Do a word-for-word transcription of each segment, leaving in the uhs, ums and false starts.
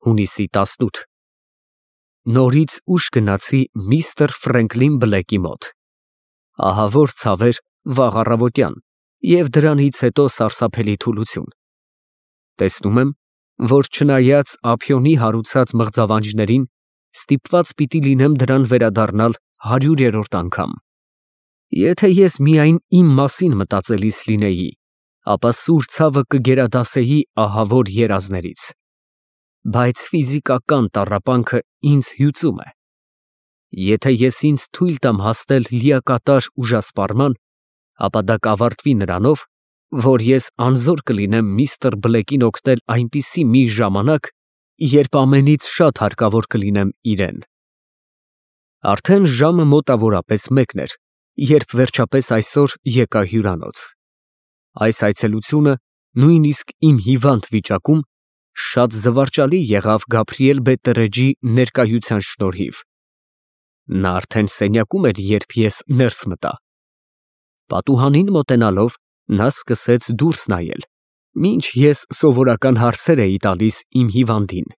հունիսի տասնութ Նորից ուշ գնացի միստր Ֆրենկլին Բլեքի մոտ։ Ահավոր ցավեր վաղ առավոտյան և դրանից հետո սարսափելի թուլություն։ Տեսնում եմ, որ չնայած ափիոնի հարուցած մղձավանջներին, ստիպված պիտի լինեմ դրան վերադառնալ հարյուրերորդ անգամ։ Եթե ես միայն իմ մասին մտածելիս լինեի, ապա սուր ցավը կգերադասեի ահավոր երազներից։ Բայց ֆիզիկական տառապանքը ինձ հյուծում է։ Եթե ես ինձ թույլ տամ հասնել լիակատար ուժասպառման, ապա դա կավարտվի նրանով, որ ես անզոր կլինեմ միստր Բլեկին օգնել այնպիսի մի ժամանակ, երբ ամենից շատ հարկավոր կլինեմ իրան։ Արդեն ժամը մոտավորապես մեկն էր, երբ վերջապես այսօր եկա հյուրանոց։ Այս այցելությունը, նույնիսկ իմ հիվանդ վիճակում, շատ զվարճալի եղավ Գաբրիել Բետտերեջի ներկայության շնորհիվ։ Նա արդեն սենյակում էր, երբ ես ներս մտա։ Պատուհանին մոտենալով, նա սկսեց դուրս նայել, մինչ ես սովորական հարցեր էի տալիս իմ հիվանդին։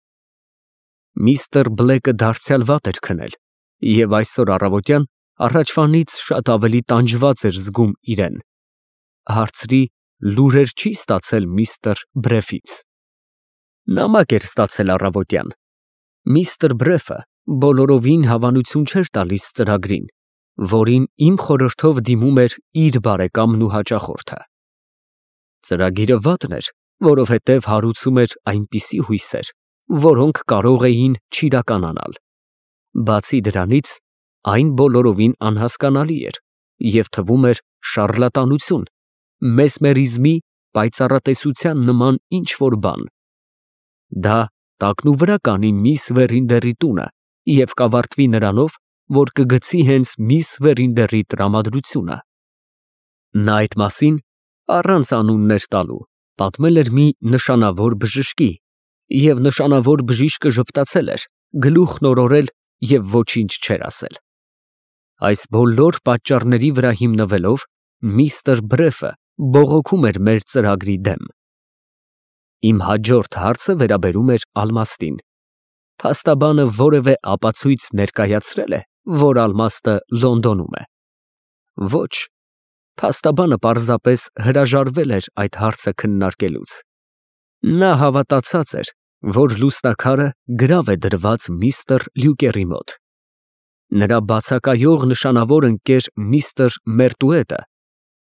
Միստր Բլեկը դարձյալ վատ էր քնել և այսօր առավոտյան առաջվանից շատ ավելի տանջված էր զգում իրան։ Հարցրի՝ լուրեր չի՞ ստացել միստր Բրեֆից։ Նամակ էր ստացել առավոտյան։ Միստր Բրեֆը բոլորովին հավանություն չէր տալիս ծրագրին, որին իմ խորհրդով դիմում էր իր բարեկամն ու հաճախորդը։ Ծրագիրը վատն էր, որովհետև հարուցում էր այնպիսի հույսեր, որոնք կարող էին չիրականանալ։ Բացի դրանից, այն բոլորովին անհասկանալի էր և թվում էր շառլատանություն, մեսմերիզմի, պայծառատեսության նման ինչ֊որ բան։ Դա տակնուվրա կանի միս Վերինդերի տունը և կավարտվի նրանով, որ կգցի հենց միս Վերինդերի տրամադրությունը։ Նա այդ մասին, առանց անուններ տալու, պատմել էր մի նշանավոր բժշկի, և նշանավոր բժիշկը ժպտացել էր, գլուխն օրորել և ոչինչ չէր ասել։ Այս բոլոր պատճառների վրա հիմնվելով, միստր Բրեֆը բողոքում էր մեր ծրագրի դեմ։ Իմ հաջորդ հարցը վերաբերում էր Ալմաստին։ Փաստաբանը որևէ ապացույց ներկայացրե՞լ է, որ Ալմաստը Լոնդոնում է։ Ոչ, փաստաբանը պարզապես հրաժարվել էր այդ հարցը քննարկելուց։ Նա հավատացած էր, որ լուսնաքարը գրավ է դրված միստր Լյուկերի մոտ։ Նրա բացակայող նշանավոր ընկեր միստր Մերտուետը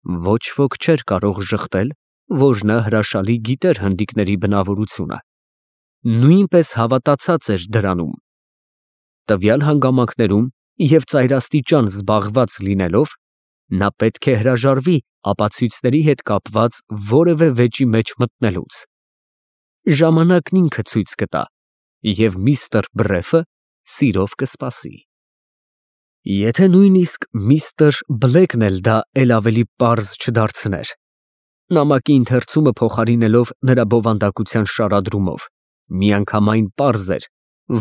ոչ ոք չէր կարող ժխտել, որ նա հրաշալի գիտեր հնդիկների բնավորությունը, նույնպես հավատացած էր դրանում։ Տվյալ հանգամանքներում և ծայրաստիճան զբաղված լինելով, նա պետք է հրաժարվի ապացույցների հետ կապված որևէ վեճի մեջ մտնելուց։ Ժամանակն ինքը ցույց կտա, և միստր Բրեֆը սիրով կսպասի։ Եթե նույնիսկ միստր Բլեկն էլ դա էլ ավելի պարզ չդարձներ, նամակի ընթերցումը փոխարինելով նրա բովանդակության շարադրումով, միանգամայն պարզ էր,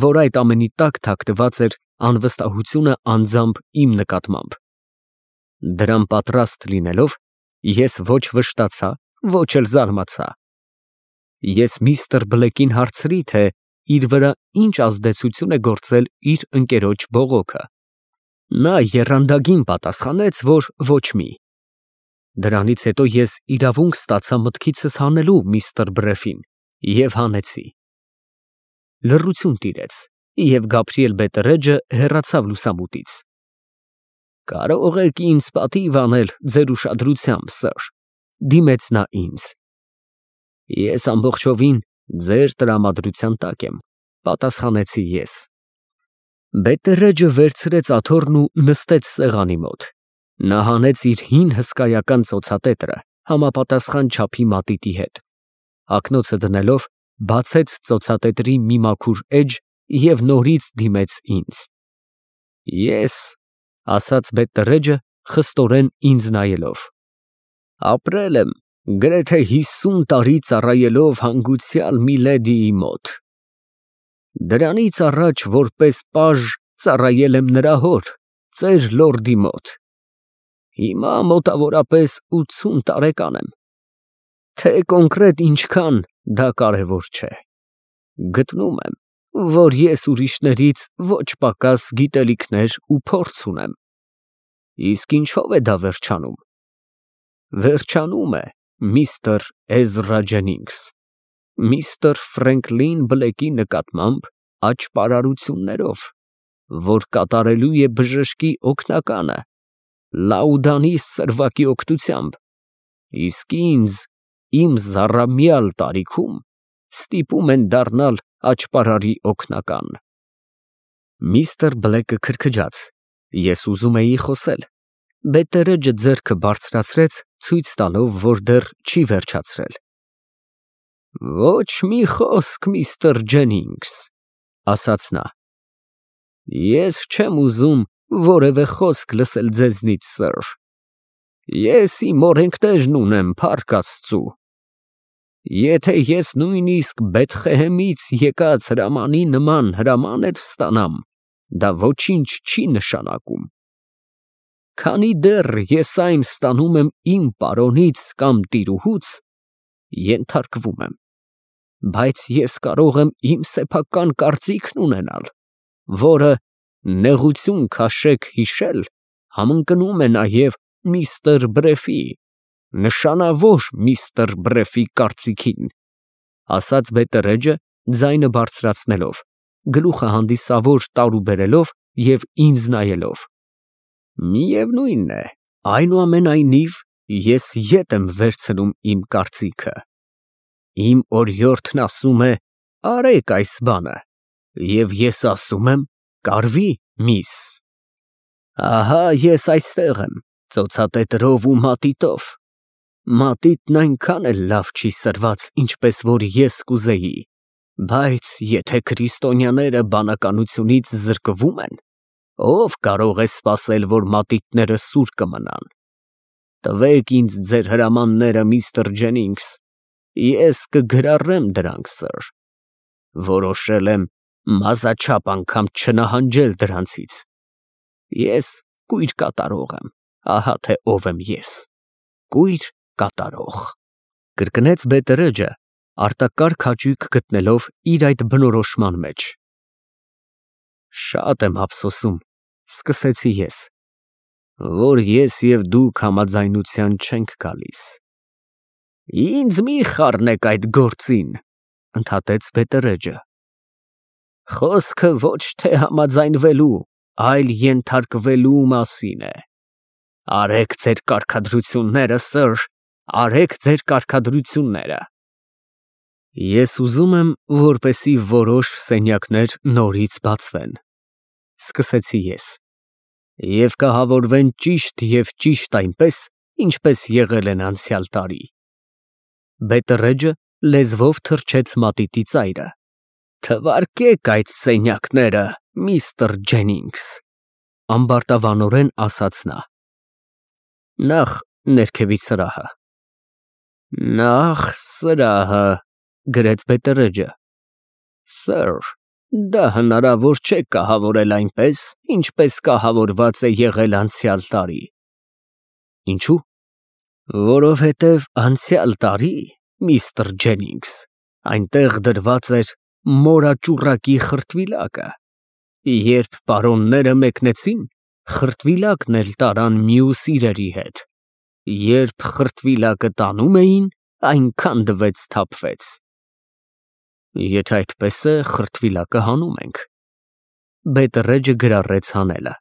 որ այդ ամենի տակ թաքնված էր անվստահությունը անձամբ իմ նկատմամբ։ Դրան պատրաստ լինելով, ես ոչ վշտացա, ոչ էլ զարմացա։ Ես միստր Բլեկին հարցրի, թե իր վրա ինչ ազդեցություն է գործել իր ընկերոջ բողոքը։ Նա եռանդագին պատասխանեց, որ ոչ մի։ Դրանից հետո ես իրավունք ստացա մտքիցս հանելու միստր Բրեֆին և հանեցի։ Լռություն տիրեց, և Գաբրիել Բետտերեջը հեռացավ լուսամուտից։ Կարող եք ինձ պատիվ անել ձեր ուշադրությամբ, սըր, դիմեց նա ինձ։ Ես ամբողջովին ձեր տրամադրության տակ եմ, պատասխանեցի ես։ Բետտերեջը վերցրեց աթոռն ու նստեց սեղանի մոտ։ Նա հանեց իր հին հսկայական ծոցատետրը համապատասխան չափի մատիտի հետ։ Ակնոցը դնելով, բացեց ծոցատետրի մի մաքուր էջ և նորից դիմեց ինձ։ Ես, ասաց Բետտերեջը, խստորեն ինձ նայելով, ապրել եմ գրեթե հիսուն տարի ծառայելով հանգուցյալ մի լեդիի մոտ։ Դրանից առաջ որպես պաժ ծառայել եմ նրա հոր, ծեր լորդի մոտ։ Հիմա մոտավորապես ութսուն տարեկան եմ։ Թե կոնկրետ ինչքան, դա կարևոր չէ։ Գտնում եմ, որ ես ուրիշներից ոչ պակաս գիտելիքներ ու փորձ ունեմ։ Իսկ ինչո՞վ է դա վերջանում։ Վերջանում է, միստր Էզրա Ջենինգս, միստր Ֆրենկլին Բլեքի նկատմամբ աճպարարություններով, որ կատարելու է բժշկի օգնականը Լաուդանի սրվակի օգնությամբ, իսկ ինձ իմ զառամյալ տարիքում ստիպում են դառնալ աճպարարի օգնական։ Միստր Բլեկը քրքջաց, ես ուզում էի խոսել, Բետերեջը ձեռքը բարձրացրեց, ցույց տալով, որ դեռ չի վերջացրել։ Ոչ մի խոսք, միստր Ջենինգս, ասաց նա։ Ես չեմ ուզում որևէ խոսք լսել ձեզնից, սըր։ Ես իմ օրենքներն ունեմ, փառք Աստծու։ Եթե ես նույնիսկ Բեթղեհեմից եկած հրամանի նման հրաման էլ ստանամ, դա ոչինչ չի նշանակում։ Քանի դեռ ես այն ստանում եմ իմ պարոնից կամ տիրուհուց, ենթարկվում եմ, բայց ես կարող եմ իմ սեփական կարծիքն ունենալ, որը, նեղություն քաշեք հիշել, համընկնում է նաև միստր Բրեֆի, նշանավոր միստր Բրեֆի կարծիքին, ասաց Բետերեջը, ձայնը բարձրացնելով, գլուխը հանդիսավոր տարուբերելով և ինձ նայելով։ Միևնույն է, այնուամենայնիվ, ես ետ եմ վերցնում իմ կարծիքը։ Իմ օրիորդն ասում է. արեք այս բանը, և ես ասում եմ. կարվի, միս։ Ահա ես այստեղ եմ, ծոցատետրով ու մատիտով։ Մատիտն այնքան էլ լավ չի սրված, ինչպես որ ես կուզեի, բայց եթե քրիստոնյաները բանականությունից զրկվում են, ով կարող է սպասել, որ մատիտները սուր կմնան։ Տվեք ինձ ձեր հրամանները, միստր Ջենինգս, ես կգրառեմ դրանք, սըր։ Որոշել եմ մազաչափ անգամ չնահանջել դրանցից։ Ես կույր կատարող եմ, ահա թե ով եմ ես, կույր կատարող։ Կրկնեց Բետերեջը, արտակարգ հաճույք գտնելով իր այդ բնորոշման մեջ։ Շատ եմ ափսոսում, սկսեցի ես, որ ես և դուք համաձայնության չենք գալիս։ Ինձ մի խառնեք այդ գործին, ընդհատեց Բետերեջը։ Խոսքը ոչ թե համաձայնվելու, այլ ենթարկվելու մասին է։ Արեք ձեր կարգադրությունները, սըր, արեք ձեր կարգադրությունները։ Ես ուզում եմ, որպեսզի որոշ սենյակներ նորից բացվեն, սկսեցի ես, և կահավորվեն ճիշտ և ճիշտ այնպես, ինչպես եղել են անցյալ տարի։ Բետերեջը լեզվով թռչեց մատիտի ծայրը։ Թվարկեք այդ սենյակները, միստր Ջենինգս, ամբարտավանորեն ասաց նա։ Նախ ներքևի սրահը։ Նախ սրահը, գրեց Բետերեջը։ Սըր, դա հնարավոր չէ կահավորել այնպես, ինչպես կահավորված է եղել անցյալ տարի։ Ինչու՞։ Որովհետև անցյալ տարի, միստր Ջենինգս, այնտեղ դրված էր մորաճուռակի խրտվիլակը, երբ պարոնները մեկնեցին, խրտվիլակն էլ տարան մյուս իրերի հետ, երբ խրտվիլակը տանում էին, այնքան դվեց թափվեց։ Եթե այդպես է, խրտվիլակը հանում ենք։ Բետերեջը գրառեց հանելը։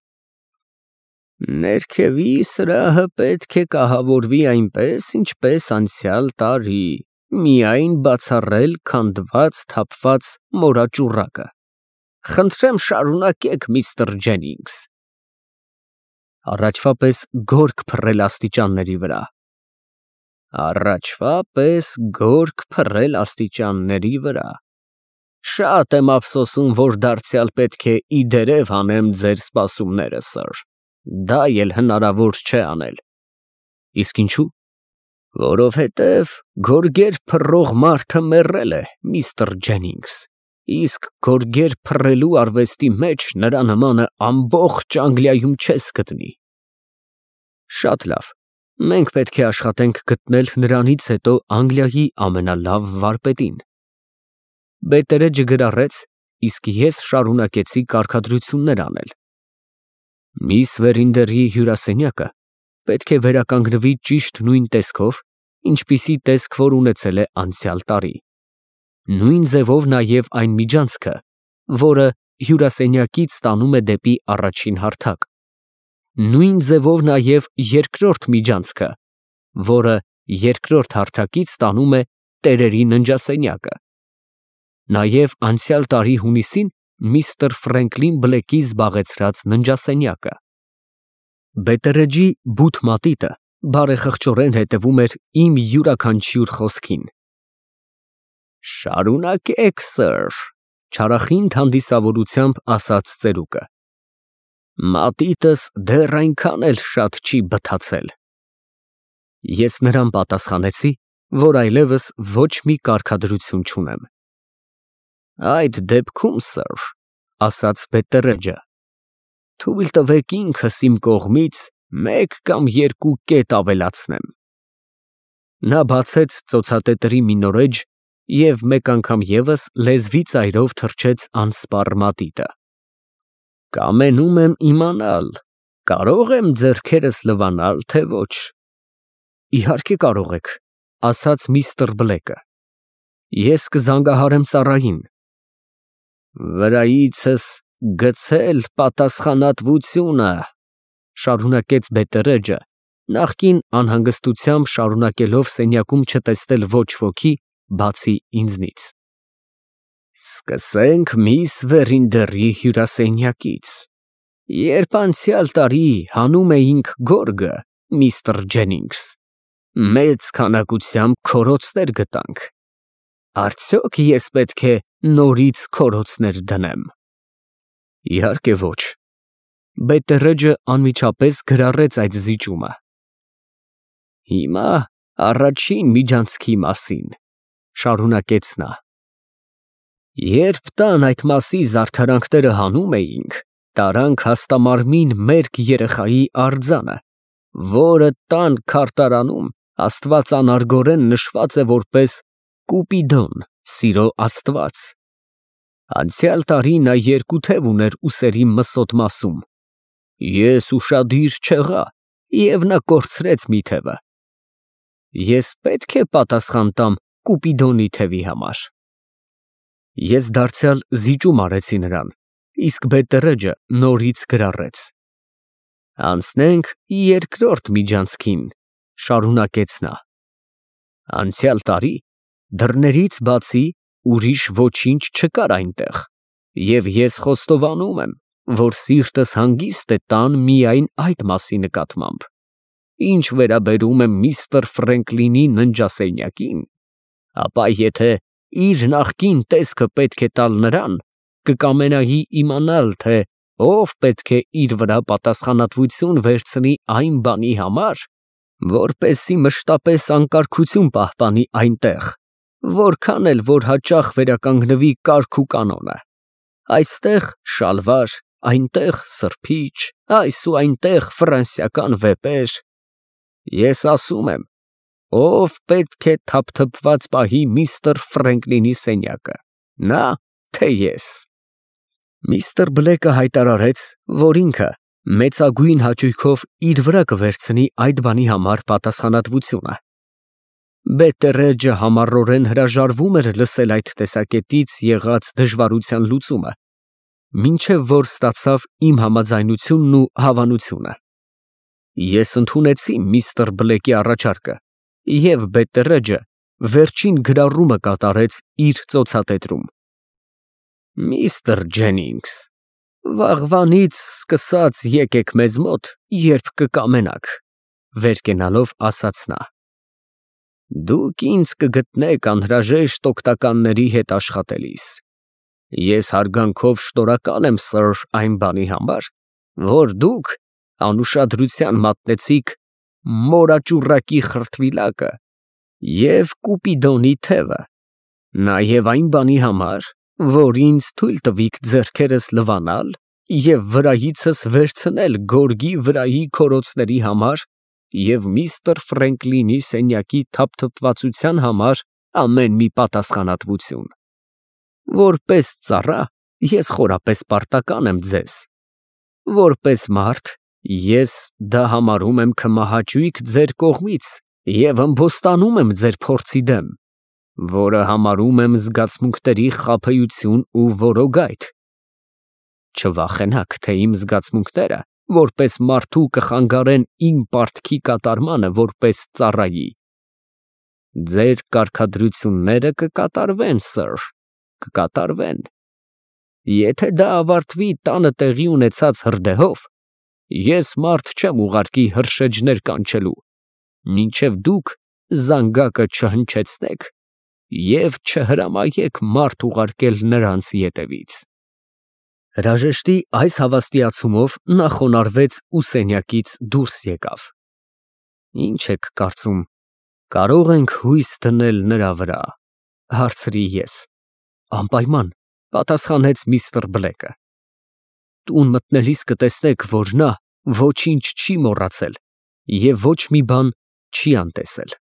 Ներքևի սրահը պետք է կահավորվի այնպես, ինչպես անցյալ տարի, միայն բացառել քանդված, թափված մորաճուռակը։ Խնդրեմ շարունակեք, միստր Ջենինգս։ Առաջվա պես գորգ փռել աստիճանների վրա։ Առաջվա պես գորգ փռել աստիճանների վրա։ Շատ եմ ափսոսում, որ դարձյալ պետք է իդերև հանեմ ձեր սպասումները, սըր։ Դա էլ հնարավոր չէ անել։ Իսկ ինչու։ Որովհետև գորգեր փռող մարդը մեռել է, միստր Ջենինգս, իսկ գորգեր փռելու արվեստի մեջ նրա նմանը ամբողջ Անգլիայում չես գտնի։ Շատ լավ, մենք պետք է աշխատենք գտնել նրանից հետո Անգլիայի ամենալավ վարպետին։ Բետերեջը գրառեց, իսկ ես շարունակեցի կարգադրություններ անել։ Միս Վերինդերի հյուրասենյակը պետք է վերականգնվի ճիշտ նույն տեսքով, ինչպիսի տեսք, որ ունեցել է անցյալ տարի։ Նույն ձևով նաև այն միջանցքը, որը հյուրասենյակից տանում է դեպի առաջին հարթակ։ Նույն ձևով նաև երկրորդ միջանցքը, որը երկրորդ հարթակից տանում է տերերի ննջասենյակը։ Նաև անցյալ տարի հունիսին միստր Ֆրենկլին Բլեքի զբաղեցրած ննջասենյակը։ Բետերեջի բութ մատիտը բարեխղճորեն հետևում էր իմ յուրաքանչյուր խոսքին։ Շարունակեք, սըր, չարախինդ հանդիսավորությամբ ասաց ծերուկը։ Մատիտս դեռ այնքան էլ շատ չի բթացել։ Ես նրան պատասխանեցի, որ այլևս ոչ մի կարգադրություն չունեմ։ Այդ դեպքում, սըր, ասաց Բետերեջը, թույլ տվեք ինքս իմ կողմից մեկ կամ երկու կետ ավելացնեմ։ Նա բացեց ծոցատետրի մի նորեջ և մեկ անգամ ևս լեզվի ծայրով թռչեց անսպառ մատիտը։ Կամենում եմ իմանալ, կարո՞ղ եմ ձեռքերս լվանալ, թե ոչ։ Իհարկե կարող եք, ասաց միստր Բլեկը։ Ես կզանգահարեմ ծառային։ Վրայիցս գցել պատասխանատվությունը, շարունակեց Բետերեջը, նախկին անհանգստությամբ շարունակելով սենյակում չտեսնել ոչ ոքի, բացի ինձնից։ Սկսենք միս Վերինդերի հյուրասենյակից։ Երբ անցյալ տարի հանում էինք գորգը, միստր Ջենինգս, մեծ քանակությամբ քորոցներ գտանք։ Արդյոք ես պետք է նորից քորոցներ դնեմ։ Իհարկե ոչ։ Բետերեջը անմիջապես գրառեց այդ զիջումը։ Հիմա առաջին միջանցքի մասին, շարունակեց նա։ Երբ տան այդ մասի զարդարանքները հանում էինք, տարանք հաստամարմին մերկ երեխայի արձանը, որը տան քարտարանում աստվածանարգորեն նշված է որպես Կուպիդոն, սիրո աստված։ Անցյալ տարի նա երկու թև ուներ ուսերի մսոտ մասում։ Ես ուշադիր չեղա, և նա կորցրեց մի թևը։ Ես պետք է պատասխան տամ Կուպիդոնի թևի համար։ Ես դարձյալ զիջում արեցի նրան, իսկ Բետերեջը նորից գրառեց։ Անցնենք երկրորդ միջանցքին, շարունակեց նա։ Անցյալ տարի դռներից բացի ուրիշ ոչինչ չկար այնտեղ, և ես խոստովանում եմ, որ սիրտս հանգիստ է տան միայն այդ մասի նկատմամբ։ Ինչ վերաբերում է միստր Ֆրենկլինի ննջասենյակին, ապա եթե իր նախկին տեսքը պետք է տալ նրան, կկամենայի իմանալ, թե ով պետք է իր վրա պատասխանատվություն վերցնի այն բանի համար, որպեսզի մշտապես անկարգություն պահպանի այնտեղ, որքան էլ որ հաճախ վերականգնվի կարգ ու կանոնը։ Այստեղ շալվար, այնտեղ սրբիչ, այս ու այնտեղ ֆրանսիական վեպեր։ Ես ասում եմ, ով պետք է թափթփված պահի միստր Ֆրենկլինի սենյակը, նա, թե ես։ Միստր Բլեկը հայտարարեց, որ ինքը մեծագույն հաճույքով իր վրա կվերցնի այդ բանի համար պատասխանատվությունը։ Բետերեջը համառորեն հրաժարվում էր լսել այդ տեսակետից եղած դժվարության լուծումը, մինչև որ ստացավ իմ համաձայնությունն ու հավանությունը։ Ես ընդունեցի միստր Բլեկի առաջարկը, և Բետերեջը վերջին գրառումը կատարեց իր ծոցատետրում։ Միստր Ջենինգս, վաղվանից սկսած եկեք մեզ մոտ, երբ կկամենաք, վեր կենալով ասաց նա։ Դուք ինձ կգտնեք անհրաժեշտ օգնականների հետ աշխատելիս։ Ես հարգանքով շնորհակալ եմ, սըր, այն բանի համար, որ դուք անուշադրության մատնեցիք մորաճուռակի խրտվիլակը և Կուպիդոնի թևը, նաև այն բանի համար, որ ինձ թույլ տվիք ձեռքերս լվանալ և վրայիցս վերցնել գորգի վրայի քորոցների համար և միստր Ֆրենկլինի սենյակի թափթփվածության համար ամեն մի պատասխանատվություն։ Որպես ծառա ես խորապես պարտական եմ ձեզ, որպես մարդ ես դա համարում եմ քմահաճույք ձեր կողմից և ըմբոստանում եմ ձեր փորձի դեմ, որը համարում եմ զգացմունքների խաբեություն ու որոգայթ։ Չվախենաք, թե իմ զգացմունքները որպես մարդու կխանգարեն իմ պարտքի կատարմանը որպես ծառայի։ Ձեր կարգադրությունները կկատարվեն, սըր, կկատարվեն։ Եթե դա ավարտվի տանը տեղի ունեցած հրդեհով, ես մարդ չեմ ուղարկի հրշեջներ կանչելու, մինչև դուք զանգակը չհնչեցնեք և չհրամայեք մարդ ուղարկել նրանց ետևից։ Հրաժեշտի այս հավաստիացումով նա խոնարհվեց ու սենյակից դուրս եկավ։ Ի՞նչ եք կարծում, կարո՞ղ ենք հույս դնել նրա վրա, հարցրի ես։ Անպայման, պատասխանեց միստր Բլեքը։ Տուն մտնելիս կտեսնեք, որ նա ոչինչ չի մոռացել և ոչ մի բան չի անտեսել։